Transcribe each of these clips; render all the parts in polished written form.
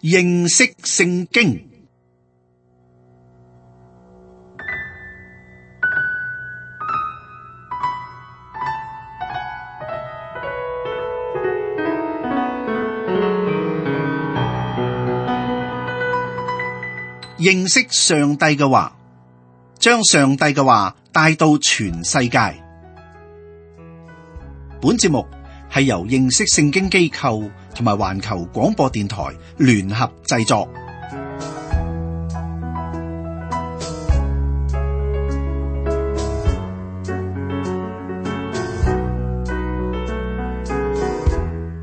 認識聖經。認識上帝嘅話，將上帝嘅話帶到全世界。本節目係由認識聖經機構同埋環球廣播電台聯合製作。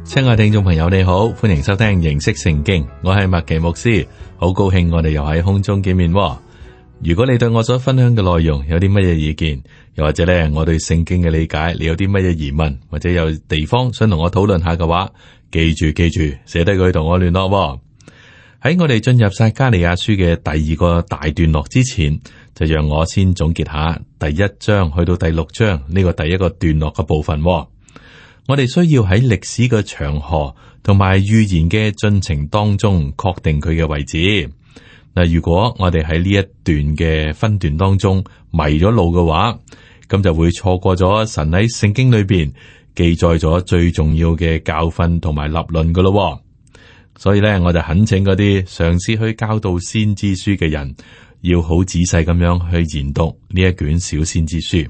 親愛聽眾朋友你好，歡迎收聽認識聖經，我係麥奇牧師，好高興我哋又喺空中見面。如果你對我所分享嘅內容有啲乜嘢意見，又或者咧我對聖經嘅理解，你有啲乜嘢疑問，或者有地方想同我討論下嘅話，記住寫低佢同我聯絡。喺我哋進入撒迦利亞書嘅第二個大段落之前，就讓我先總結下第一章去到第六章呢個第一個段落嘅部分。我哋需要喺歷史嘅長河同埋預言嘅進程當中確定佢嘅位置。嗱，如果我哋喺呢一段嘅分段當中迷咗路嘅話，咁就會錯過咗神喺聖經裏邊記載咗最重要嘅教訓同埋立論噶咯。所以咧，我就懇請嗰啲嘗試去教導先知書嘅人，要好仔細咁樣去研讀呢一卷小先知書。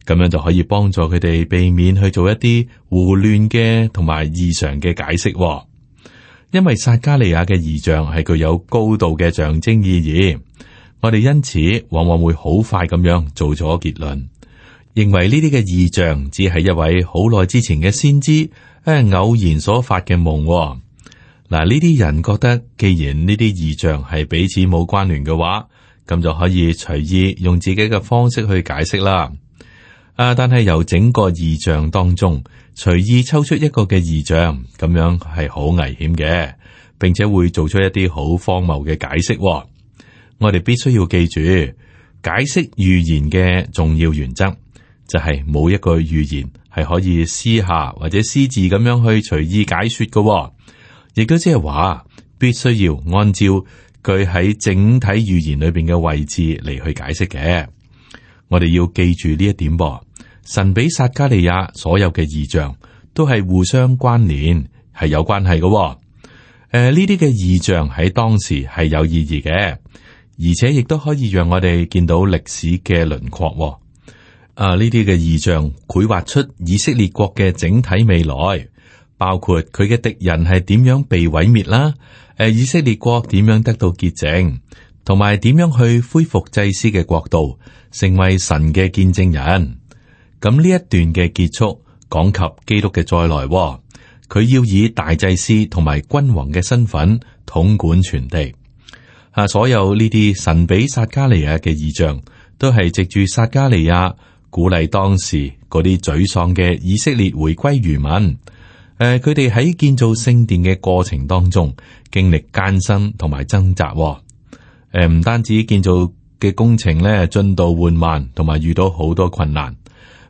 咁樣就可以幫助佢哋避免去做一啲胡亂嘅同埋異常嘅解釋。因為撒迦利亞嘅異象係具有高度嘅象徵意義，我哋因此往往會好快咁樣做咗結論，認為呢啲嘅異象只係一位好耐之前嘅先知偶然所發嘅夢。嗱，呢啲人覺得既然呢啲異象係彼此冇關聯嘅話，咁就可以隨意用自己嘅方式去解釋啦。但係由整個異象當中隨意抽出一個嘅異象，咁樣係好危險嘅，並且會做出一啲好荒謬嘅解釋。我哋必須要記住，解釋預言嘅重要原則就係冇一個預言係可以私下或者私自咁樣去隨意解說嘅，亦都即係話必須要按照佢喺整體預言裏邊嘅位置嚟去解釋嘅。我哋要記住呢一點噃。神俾撒迦利亞所有嘅異象都係互相關聯，係有關係嘅。呢啲嘅異象喺當時係有意義嘅，而且亦都可以讓我哋見到歷史嘅輪廓。呢啲嘅異象繪畫出以色列國嘅整體未來，包括佢嘅敵人係點樣被毀滅啦，以色列國點樣得到潔淨，同埋點樣去恢復祭司嘅國度，成為神嘅見證人。咁呢一段嘅結束講及基督嘅再來，佢要以大祭司同埋君王嘅身份統管全地。所有呢啲神俾撒迦利亞嘅異象，都係藉住撒迦利亞鼓勵當時嗰啲沮喪嘅以色列回歸餘民。佢哋喺建造聖殿嘅過程當中，經歷艱辛同埋掙扎。唔單止建造嘅工程咧進度緩慢，同埋遇到好多困難。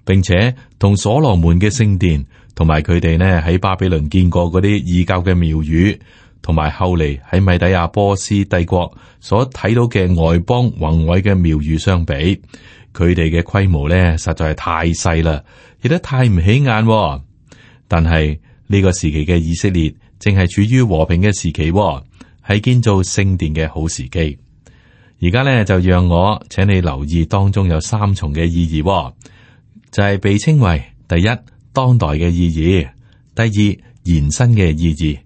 並且同所羅門嘅聖殿，同埋佢哋呢喺巴比倫見過嗰啲異教嘅廟宇，同埋後嚟喺米底亞波斯帝國所睇到嘅外邦宏偉嘅廟宇相比，佢哋嘅規模呢實在係太細啦，亦都太唔起眼。但係呢個時期嘅以色列正係處於和平嘅時期，係建造聖殿嘅好時機。而家呢就讓我請你留意當中有三重嘅意義。就係被稱為第一，當代嘅意義；第二，延伸嘅意義；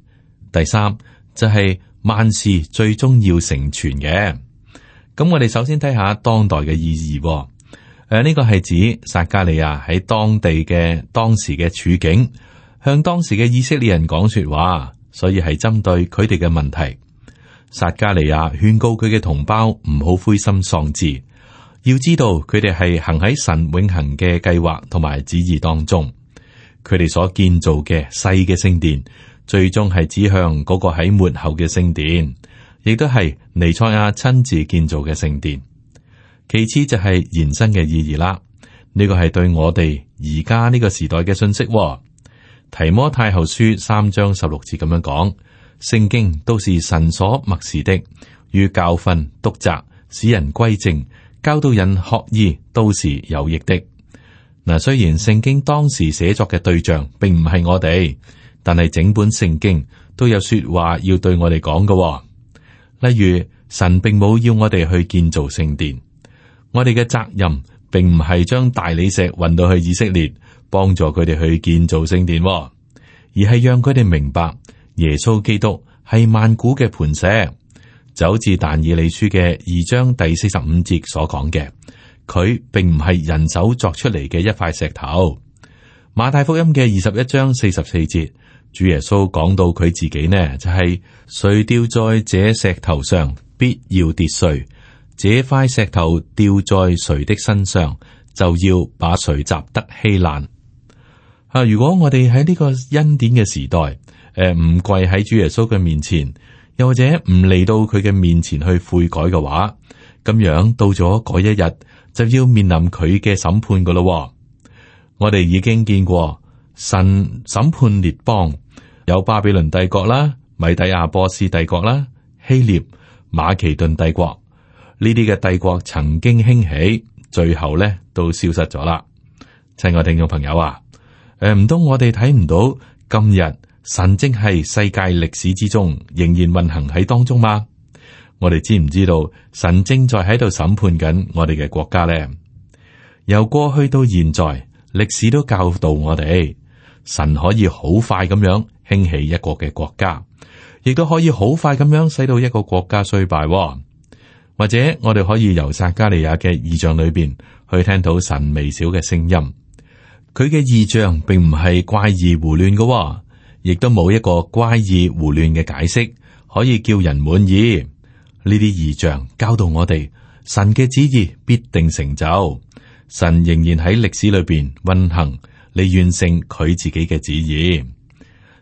第三就係萬事最終要成全嘅。咁我哋首先睇下當代嘅意義。呢個係指撒迦利亞喺當地嘅當時嘅處境，向當時嘅以色列人講說話，所以係針對佢哋嘅問題。撒迦利亞勸告佢嘅同胞唔好灰心喪志。要知道佢哋係行喺神永恆嘅計劃同埋旨意當中，佢哋所建造嘅細嘅聖殿，最終係指向嗰個喺末後嘅聖殿，亦都係彌賽亞親自建造嘅聖殿。其次就係延伸嘅意義啦，呢個係對我哋而家呢個時代嘅信息。提摩太後書3章16節咁樣講：聖經都是神所默示的，於教訓、督責、使人歸正、教導人學義，都是有益的。嗱，雖然聖經當時寫作嘅對象並唔係我哋，但係整本聖經都有說話要對我哋講嘅。例如，神並冇要我哋去建造聖殿，我哋嘅責任並唔係將大理石運到去以色列，幫助佢哋去建造聖殿，而係讓佢哋明白耶穌基督係萬古嘅磐石，就好似但以理書嘅2章第45節所講嘅。佢並唔係人手作出嚟嘅一塊石頭。馬太福音嘅21章44節，主耶穌講到佢自己呢，就係誰掉在這石頭上，必要跌碎；這塊石頭掉在誰的身上，就要把誰砸得稀爛。如果我哋喺呢個恩典嘅時代，唔跪喺主耶穌嘅面前，又或者唔嚟到佢嘅面前去悔改嘅話，咁樣到咗嗰一日，就要面臨佢嘅審判噶咯。我哋已經見過神審判列邦，有巴比倫帝國啦、米底亞波斯帝國啦、希臘、馬其頓帝國，呢啲嘅帝國曾經興起，最後咧都消失咗啦。親愛聽眾朋友啊，唔通我哋睇唔到今日神正係世界歷史之中仍然運行喺當中嗎？我哋知唔知道神正在喺度審判緊我哋嘅國家呢？由過去到現在，歷史都教導我哋，神可以好快咁樣興起一個嘅國家，亦都可以好快咁樣使到一個國家衰敗。或者我哋可以由撒迦利亞嘅異象裏邊去聽到神微小嘅聲音，佢嘅異象並唔係怪異胡亂嘅，亦都冇一個怪異胡亂嘅解釋可以叫人滿意。呢啲異象教導我哋，神嘅旨意必定成就，神仍然喺歷史裏邊運行嚟完成佢自己嘅旨意。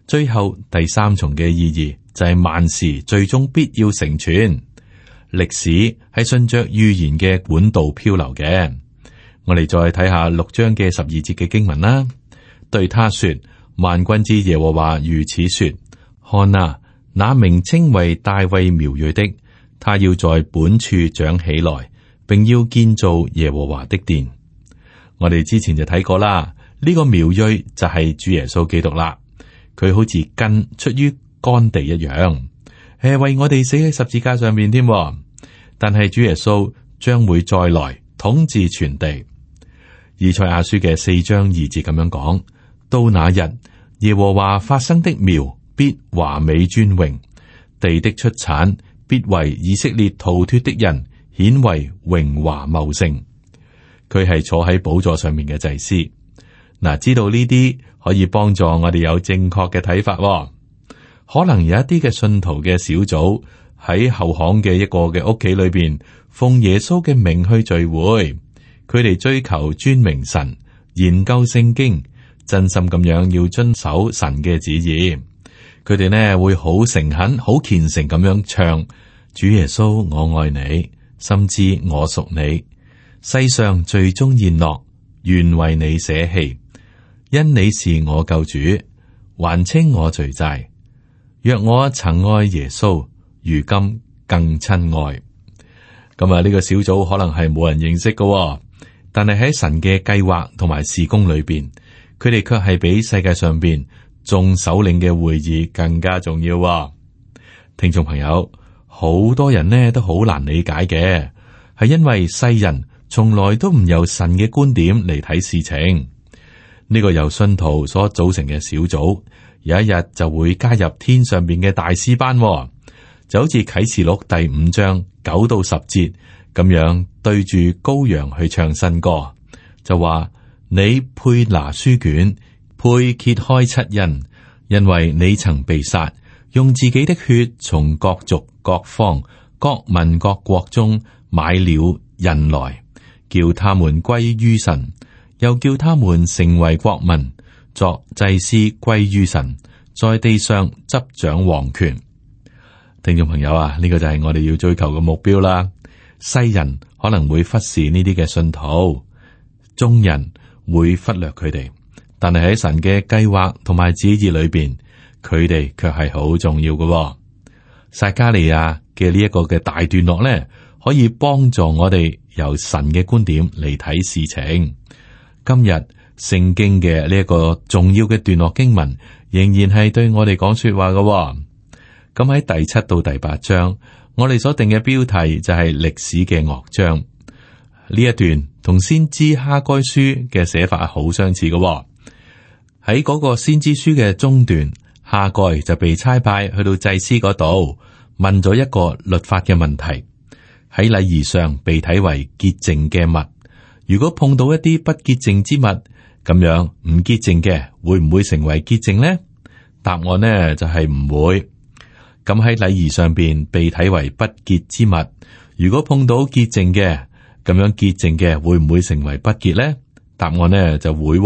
最後第三重嘅意義就係萬事最終必要成全。歷史係順着預言嘅管道漂流嘅。我哋再睇下6章嘅12節嘅經文啦。對他說：萬軍之耶和華如此說，看啊，那名稱為大衛苗裔的，他要在本處長起來，並要建造耶和華的殿。我哋之前就睇過啦，呢個苗裔就係主耶穌基督啦。佢好似根出於乾地一樣，為我哋死喺十字架上面添。但係主耶穌將會再來統治全地。以賽亞書嘅4章2節咁樣講：到那日，耶和華發生的苗必華美尊榮，地的出產必為以色列逃脫的人顯為榮華茂盛。佢係坐喺寶座上面嘅祭司。嗱，知道呢啲可以幫助我哋有正確嘅睇法。可能有一啲嘅信徒嘅小組喺後巷嘅一個嘅屋企裏邊，奉耶穌嘅名去聚會。佢哋追求尊明神，研究聖經，真心咁樣要遵守神嘅旨意。佢哋呢會好誠懇、好虔誠咁樣唱：主耶穌，我愛你，甚至我屬你。世上最終宴樂，願為你捨棄，因你是我救主，還清我罪債。若我曾愛耶穌，如今更親愛。咁啊，呢個小組可能係冇人認識嘅，但係喺神嘅計劃同埋事工裏邊，佢哋卻係比世界上邊眾首領嘅會議更加重要。聽眾朋友，好多人呢都好難理解嘅，係因為世人從來都唔由神嘅觀點嚟睇事情。呢個由信徒所組成嘅小組，有一日就會加入天上邊嘅大師班，就好似啟示錄第5章9到10節咁樣，對住羔羊去唱新歌，就話：你配拿書卷，配揭開7印，因為你曾被殺，用自己的血從各族、各方、各民、各國中買了人來，叫他們歸於神，又叫他們成為國民，作祭司歸於神，在地上執掌王權。聽眾朋友啊，呢個就係我哋要追求嘅目標啦。世人可能會忽視呢啲嘅信徒，眾人會忽略佢哋，但係喺神嘅計劃同埋旨意裏邊，佢哋卻係好重要嘅。撒迦利亞嘅呢一個嘅大段落咧，可以幫助我哋由神嘅觀點嚟睇事情。今日聖經嘅呢一個重要嘅段落經文，仍然係對我哋講說話嘅。咁喺第7到第8章，我哋所定嘅標題就係歷史嘅樂章。呢一段同先知哈該書嘅寫法好相似嘅。喺嗰個先知書嘅中段，哈該就被差派去到祭司嗰度，問咗一個律法嘅問題。喺禮儀上被睇為潔淨嘅物，如果碰到一啲不潔淨之物，咁樣唔潔淨嘅會唔會成為潔淨呢？答案呢就係唔會。咁喺禮儀上邊被睇為不潔之物，如果碰到潔淨嘅，咁樣潔淨嘅會唔會成為不潔呢？答案呢就會。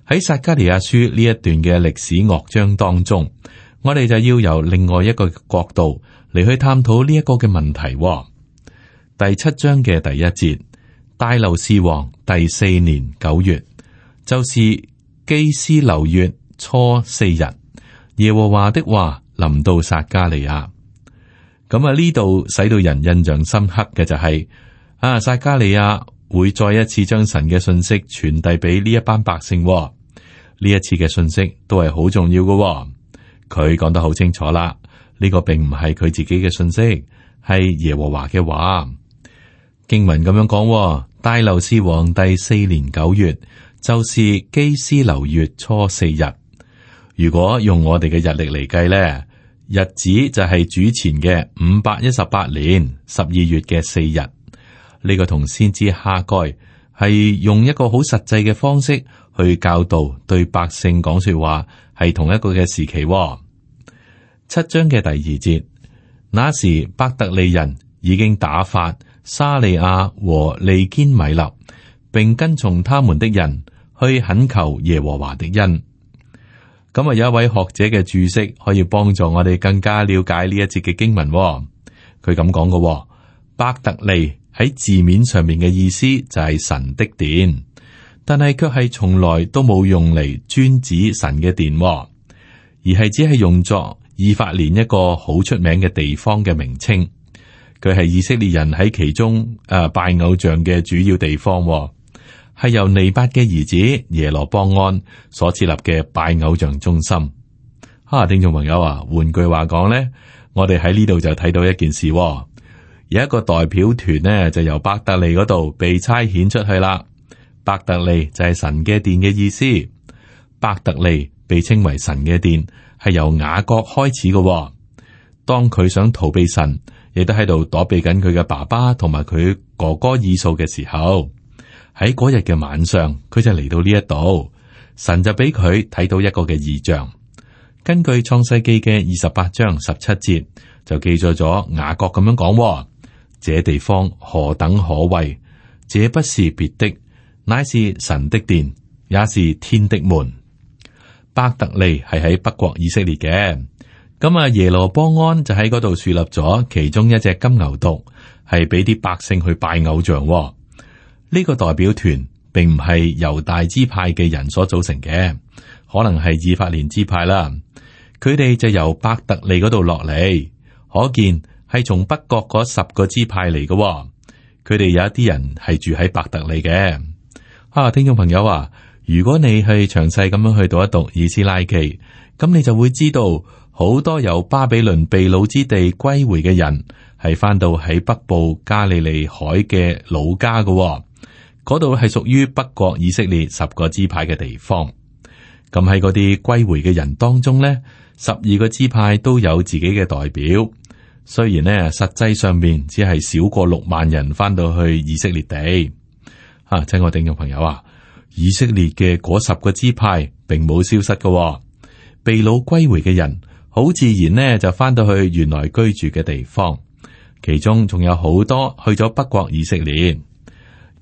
喺撒迦利亞書呢一段嘅歷史樂章當中，我哋就要由另外一個角度嚟去探討呢一個嘅問題。第7章嘅第1節，大流士王第4年9月，就是基斯流月初4日，耶和華的話臨到撒迦利亞。咁呢度使到人印象深刻嘅就係撒迦利亞會再一次將神嘅信息傳遞俾呢一班百姓。呢一次嘅信息都係好重要嘅。佢講得好清楚啦，呢個並唔係佢自己嘅信息，係耶和華嘅話。經文咁樣講，大流士王第4年9月，就是基斯流月初4日。如果用我哋嘅日曆嚟計咧，日子就係主前嘅518年12月嘅4日。呢個同先知哈該係用一個好實際嘅方式去教導對百姓講說話，係同一個嘅時期。7章嘅第2節，那時伯特利人已經打發沙利亞和利堅米勒，並跟從他們的人去懇求耶和華的恩。咁有一位學者嘅注釋可以幫助我哋更加了解呢一節嘅經文。佢咁講嘅，伯特利喺字面上面嘅意思就係神的殿，但係卻係從來都冇用嚟專指神嘅殿，而係只係用作以法蓮一個好出名嘅地方嘅名稱。佢係以色列人喺其中拜偶像嘅主要地方，係由尼八嘅兒子耶羅波安所設立嘅拜偶像中心。聽眾朋友換句話講呢，我哋喺呢度就睇到一件事，有一個代表團呢，就由伯特利嗰度被差遣出去啦。伯特利就係神嘅殿嘅意思。伯特利被稱為神嘅殿，係由雅各開始嘅。當佢想逃避神，亦都喺度躲避緊佢嘅爸爸同埋佢哥哥以掃嘅時候，喺嗰日嘅晚上，佢就嚟到呢一度，神就俾佢睇到一個嘅異象。根據創世記嘅28章17節就記載咗雅各咁樣講：這地方何等可畏！這不是別的，乃是神的殿，也是天的門。伯特利係喺北國以色列嘅。咁耶羅波安就喺嗰度樹立咗其中一隻金牛犢，係俾啲百姓去拜偶像。呢個代表團並唔係猶大支派嘅人所組成嘅，可能係以法蓮支派啦。佢哋就由伯特利嗰度落嚟，可見係從北國嗰10個支派嚟嘅。佢哋有一啲人係住喺伯特利嘅。聽眾朋友如果你去詳細咁樣去讀一讀以斯拉記，咁你就會知道。好多由巴比倫被擄之地歸回嘅人，係翻到喺北部加利利海嘅老家嘅，嗰度係屬於北國以色列10個支派嘅地方。咁喺嗰啲歸回嘅人當中呢，12個支派都有自己嘅代表。雖然呢，實際上面只係少過6萬人翻到去以色列地。親愛聽眾朋友以色列嘅嗰10個支派並冇消失嘅，被擄歸回嘅人。好自然呢，就翻到去原來居住嘅地方，其中仲有好多去咗北國以色列。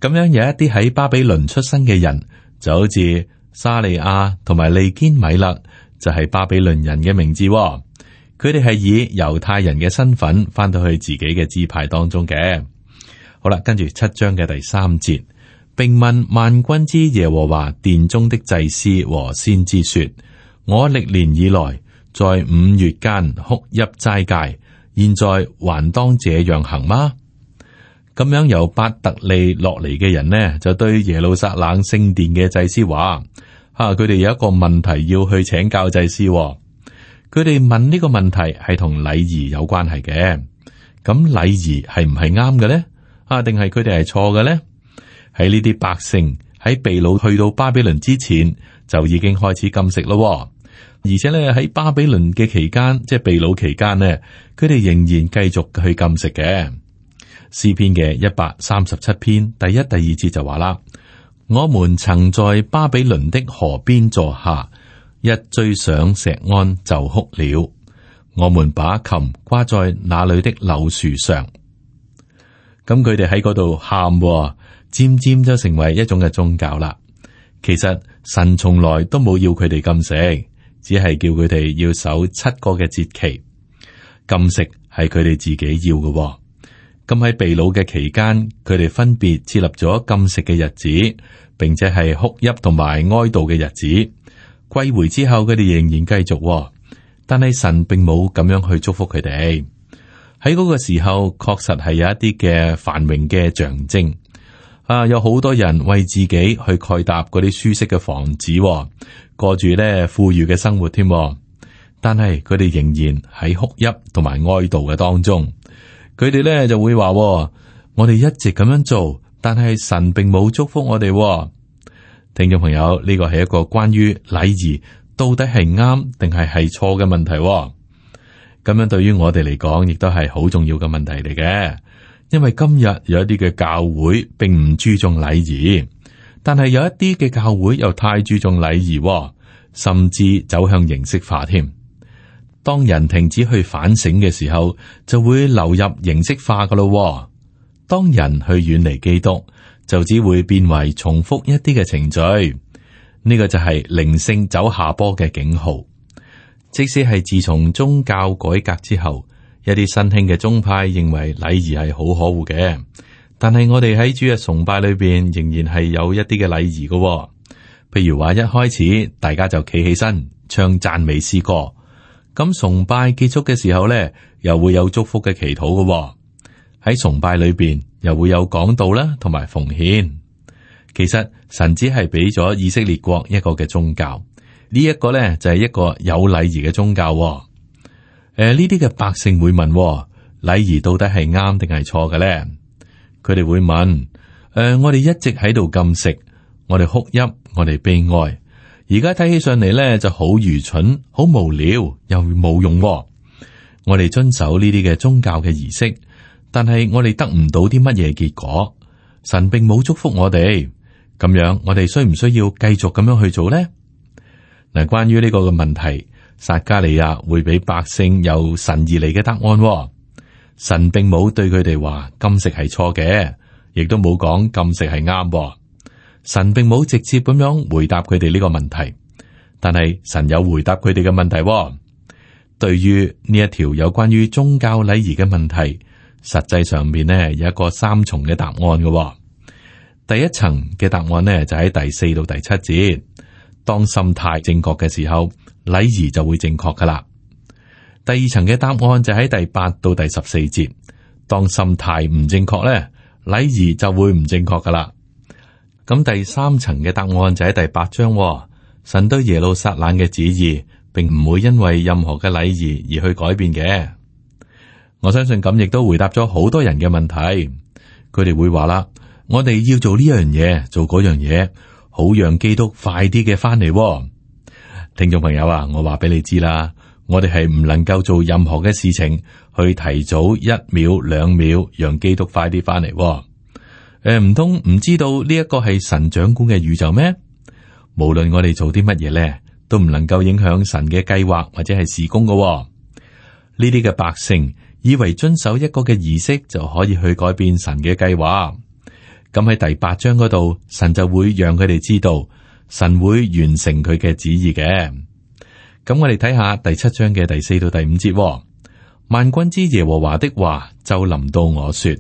咁樣有一啲喺巴比倫出生嘅人，就好似沙利亞同埋利堅米勒，就係巴比倫人嘅名字。佢哋係以猶太人嘅身份翻到去自己嘅支派當中嘅。好啦，跟住7章嘅第3節，並問萬軍之耶和華殿中的祭司和先知說：我歷年以來在5月間哭泣齋戒，現在還當這樣行嗎？咁樣由伯特利落嚟嘅人呢，就對耶路撒冷聖殿嘅祭司話：佢哋有一個問題要去請教祭司。佢哋問呢個問題係同禮儀有關係嘅。咁禮儀係唔係啱嘅呢？定係佢哋係錯嘅呢？喺呢啲百姓喺被擄去到巴比倫之前，就已經開始禁食咯。而且咧喺巴比倫嘅期間，即係被擄期間呢，佢哋仍然繼續去禁食嘅。詩篇嘅137篇第1、第2節就話啦：我們曾在巴比倫的河邊坐下，一追上錫安就哭了。我們把琴掛在那裏的柳樹上。咁佢哋喺嗰度喊，漸漸就成為一種嘅宗教啦。其實神從來都冇要佢哋禁食。只係叫佢哋要守7個嘅節期，禁食係佢哋自己要嘅。咁喺被擄嘅期間，佢哋分別設立咗禁食嘅日子，並且係哭泣同埋哀悼嘅日子。歸回之後，佢哋仍然繼續，但係神並冇咁樣去祝福佢哋。喺嗰個時候，確實係有一啲嘅繁榮嘅象徵。有好多人為自己去蓋搭嗰啲舒適嘅房子，過住咧富裕嘅生活添。但係佢哋仍然喺哭泣同埋哀悼嘅當中。佢哋咧就會話：我哋一直咁樣做，但係神並冇祝福我哋。聽眾朋友，呢個係一個關於禮儀到底係啱定係錯嘅問題。咁樣對於我哋嚟講，亦都係好重要嘅問題嚟嘅。因為今日有一啲嘅教會並唔注重禮儀，但係有一啲嘅教會又太注重禮儀，甚至走向形式化添。當人停止去反省嘅時候，就會流入形式化噶咯。當人去遠離基督，就只會變為重複一啲嘅程序。呢個就係靈性走下坡嘅警號。即使係自從宗教改革之後，一啲新興嘅宗派認為禮儀係好可惡嘅，但係我哋喺主日崇拜裏邊仍然係有一啲嘅禮儀嘅。譬如話一開始大家就企起身唱讚美詩歌，咁崇拜結束嘅時候咧，又會有祝福嘅祈禱嘅。喺崇拜裏邊又會有講道啦，同埋奉獻。其實神只係俾咗以色列國一個嘅宗教，呢一個咧就係一個有禮儀嘅宗教。呢啲嘅百姓會問：禮儀到底係啱定係錯嘅咧？佢哋會問：我哋一直喺度禁食，我哋哭泣，我哋悲哀，而家睇起上嚟咧就好愚蠢、好無聊又冇用。我哋遵守呢啲嘅宗教嘅儀式，但係我哋得唔到啲乜嘢結果？神並冇祝福我哋，咁樣我哋需唔需要繼續咁樣去做咧？嗱，關於呢個嘅問題，撒迦利亞會俾百姓由神而嚟嘅答案。神並冇對佢哋話禁食係錯嘅，亦都冇講禁食係啱。神並冇直接咁樣回答佢哋呢個問題，但係神有回答佢哋嘅問題。對於呢一條有關於宗教禮儀嘅問題，實際上面呢有一個3重嘅答案嘅。第一層嘅答案呢就喺第4到第7節，當心態正確嘅時候，禮儀就會正確噶啦。第二層嘅答案就喺第8到第14節，當心態唔正確咧，禮儀就會唔正確噶啦。咁第3層嘅答案就喺第8章，神對耶路撒冷嘅旨意，並唔會因為任何嘅禮儀而去改變嘅。我相信咁亦都回答咗好多人嘅問題。佢哋會話啦，我哋要做呢樣嘢，做嗰樣嘢，好讓基督快啲嘅翻嚟。聽眾朋友啊，我話俾你知啦，我哋係唔能夠做任何嘅事情去提早1秒2秒，讓基督快啲翻嚟。唔通唔知道呢一個係神掌管嘅宇宙咩？無論我哋做啲乜嘢咧，都唔能夠影響神嘅計劃或者係事工嘅。呢啲嘅百姓以為遵守一個嘅儀式就可以去改變神嘅計劃。咁喺第8章嗰度，神就會讓佢哋知道，神會完成佢嘅旨意嘅。咁我哋睇下第7章嘅第4到第5節。萬軍之耶和華的話就臨到我說：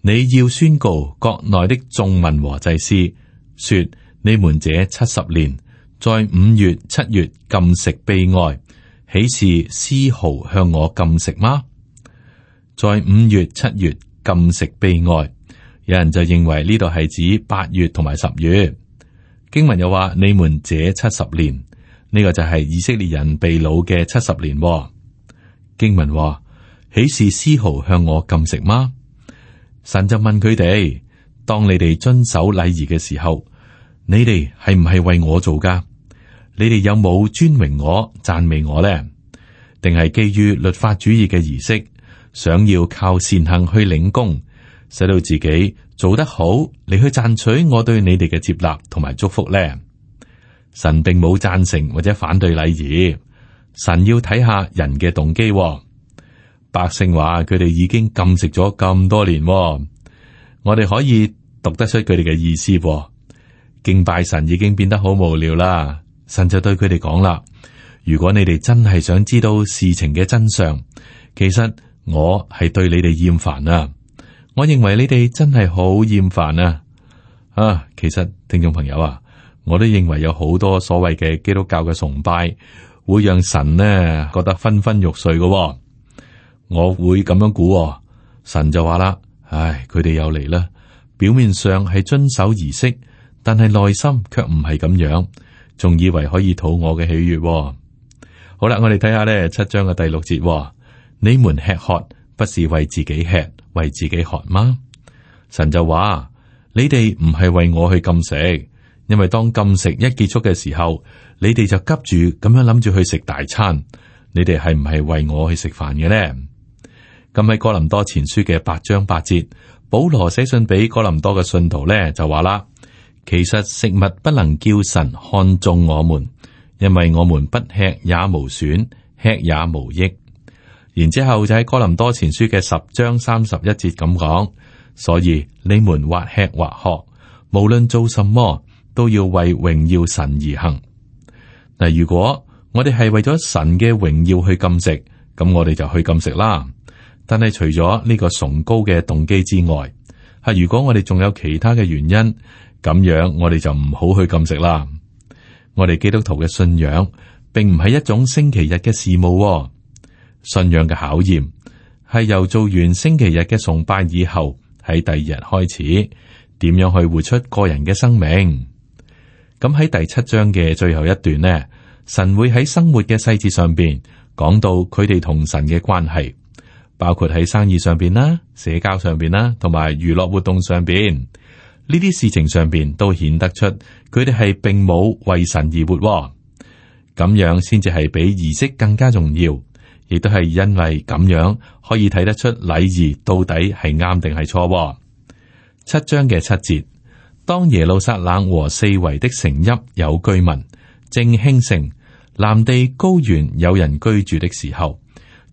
你要宣告國內的眾民和祭司，說你們這70年在5月、7月禁食悲哀，豈是絲毫向我禁食嗎？在5月、7月禁食悲哀，有人就認為呢度係指8月同埋10月。經文又話：你們這70年，呢個就係以色列人被擄嘅70年。經文話：豈是絲毫向我禁食嗎？神就問佢哋：當你哋遵守禮儀嘅時候，你哋係唔係為我做噶？你哋有冇尊榮我、讚美我呢？定係基於律法主義嘅儀式，想要靠善行去領功，使到自己做得好，嚟去賺取我對你哋嘅接納同埋祝福呢？神並冇贊成或者反對禮儀，神要睇下人嘅動機。百姓話佢哋已經禁食咗咁多年，我哋可以讀得出佢哋嘅意思。敬拜神已經變得好無聊啦。神就對佢哋講啦：如果你哋真係想知道事情嘅真相，其實我係對你哋厭煩啊！我認為你哋真係好厭煩啊！其實聽眾朋友啊，我都認為有好多所謂嘅基督教嘅崇拜會讓神呢覺得昏昏欲睡嘅。我會咁樣估，神就話啦：唉，佢哋又嚟啦！表面上係遵守儀式，但係內心卻唔係咁樣。仲以為可以討我嘅喜悅。好啦，我哋睇下呢7章嘅第6節。你們吃喝不是為自己吃，為自己喝嗎？神就話：你哋唔係為我去禁食，因為當禁食一結束嘅時候，你哋就急住咁樣諗住去食大餐。你哋係唔係為我去食飯嘅呢？咁喺哥林多前書嘅8章8節，保羅寫信俾哥林多嘅信徒呢，就話啦。其實食物不能叫神看中我們，因為我們不吃也無損，吃也無益。然之後就喺哥林多前書嘅10章31節咁講，所以你們或吃或喝，無論做什麼，都要為榮耀神而行。嗱，如果我哋係為咗神嘅榮耀去禁食，咁我哋就去禁食啦。但係除咗呢個崇高嘅動機之外，如果我哋仲有其他嘅原因，咁樣我哋就唔好去禁食啦。我哋基督徒嘅信仰並唔係一種星期日嘅事務，信仰嘅考驗係由做完星期日嘅崇拜以後，喺第2日開始，點樣去活出個人嘅生命。咁喺第7章嘅最後一段呢，神會喺生活嘅細節上邊講到佢哋同神嘅關係，包括喺生意上邊啦、社交上邊啦，同埋娛樂活動上邊。呢啲事情上邊都顯得出佢哋係並冇為神而活，咁樣先至係比儀式更加重要，亦都係因為咁樣可以睇得出禮儀到底係啱定係錯。7章嘅7節，當耶路撒冷和四圍的城邑有居民，正興盛，南地高原有人居住的時候，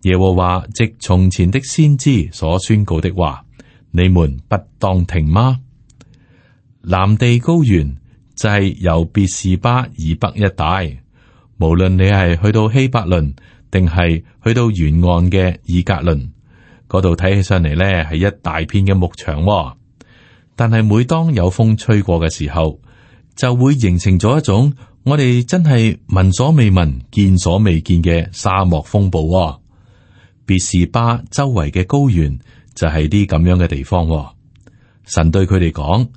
耶和華藉從前的先知所宣告的話，你們不當聽嗎？南地高原就係由別是巴以北一帶，無論你係去到希伯倫，定係去到沿岸嘅以革倫嗰度，睇起上嚟呢係一大片嘅牧場。但係每當有風吹過嘅時候，就會形成咗一種我哋真係聞所未聞、見所未見嘅沙漠風暴。別是巴周圍嘅高原就係啲咁樣嘅地方。神對佢哋講。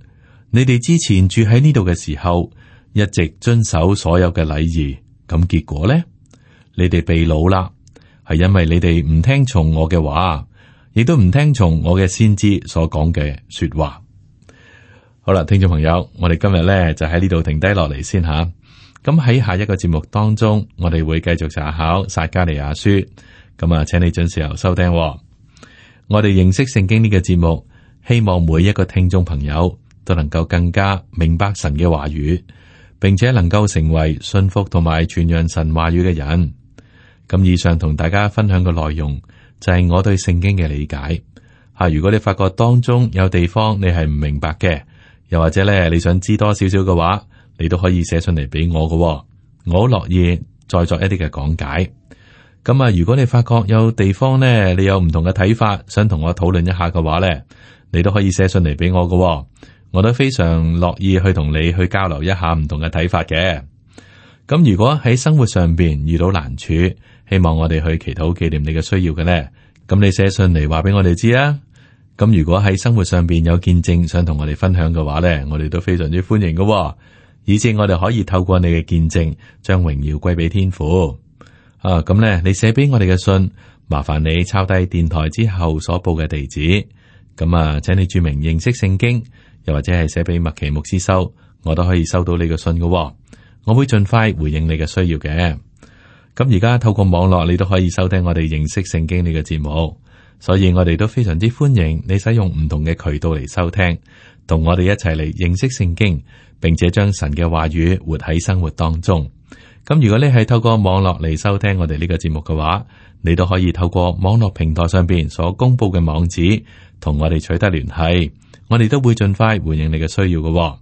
你哋之前住喺呢度嘅時候，一直遵守所有嘅禮儀，咁結果呢？你哋被擄啦，係因為你哋唔聽從我嘅話，亦都唔聽從我嘅先知所講嘅說話。好啦，聽眾朋友，我哋今日咧就喺呢度停低落嚟先吓。咁喺下一個節目當中，我哋會繼續查考撒迦利亞書。咁啊，請你準時收聽。我哋認識聖經呢個節目，希望每一個聽眾朋友都能夠更加明白神嘅話語，並且能夠成為信服同埋傳揚神話語嘅人。咁以上同大家分享嘅內容就係我對聖經嘅理解。如果你發覺當中有地方你係唔明白嘅，又或者咧你想知多少少嘅話，你都可以寫信嚟俾我嘅，我好樂意再作一啲嘅講解。咁啊，如果你發覺有地方呢，你有唔同嘅睇法，想同我討論一下嘅話咧，你都可以寫信嚟俾我嘅。我都非常樂意去同你去交流一下唔同嘅睇法嘅。咁如果喺生活上邊遇到難處，希望我哋去祈禱紀念你嘅需要嘅呢？咁你寫信嚟話俾我哋知啊。咁如果喺生活上邊有見證想同我哋分享嘅話呢，我哋都非常之歡迎嘅，以致我哋可以透過你嘅見證，將榮耀歸俾天父。咁呢，你寫俾我哋嘅信，麻煩你抄低電台之後所報嘅地址。咁請你注明認識聖經，又或者係寫俾麥奇牧師收，我都可以收到你嘅信嘅。我會盡快回應你嘅需要嘅。咁而家透過網絡，你都可以收聽我哋認識聖經呢個節目。所以我哋都非常之歡迎你使用唔同嘅渠道嚟收聽，同我哋一齊嚟認識聖經，並且將神嘅話語活喺生活當中。咁如果你係透過網絡嚟收聽我哋呢個節目嘅話，你都可以透過網絡平台上邊所公布嘅網址，同我哋取得聯繫，我哋都會盡快回應你嘅需要嘅。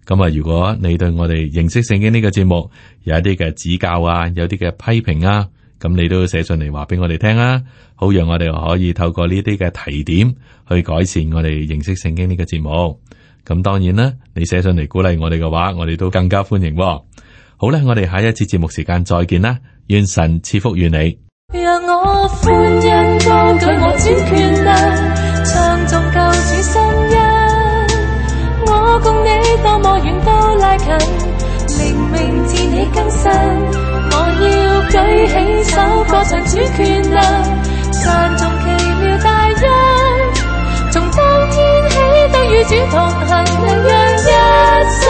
咁如果你對我哋認識聖經呢個節目有一啲嘅指教啊，有啲嘅批評啊，咁你都寫信嚟話俾我哋聽啊，好讓我哋可以透過呢啲嘅提點去改善我哋認識聖經呢個節目。咁當然啦，你寫信嚟鼓勵我哋嘅話，我哋都更加歡迎。好啦，我哋下一次節目時間再見啦，願神賜福於你。讓我歡欣歌舉我主權量，唱頌救主聲音。我共你多麼遠都拉近，靈命自你更新。我要舉起手歌唱主權量，讚頌奇妙大恩。從當天起都與主同行，能讓一生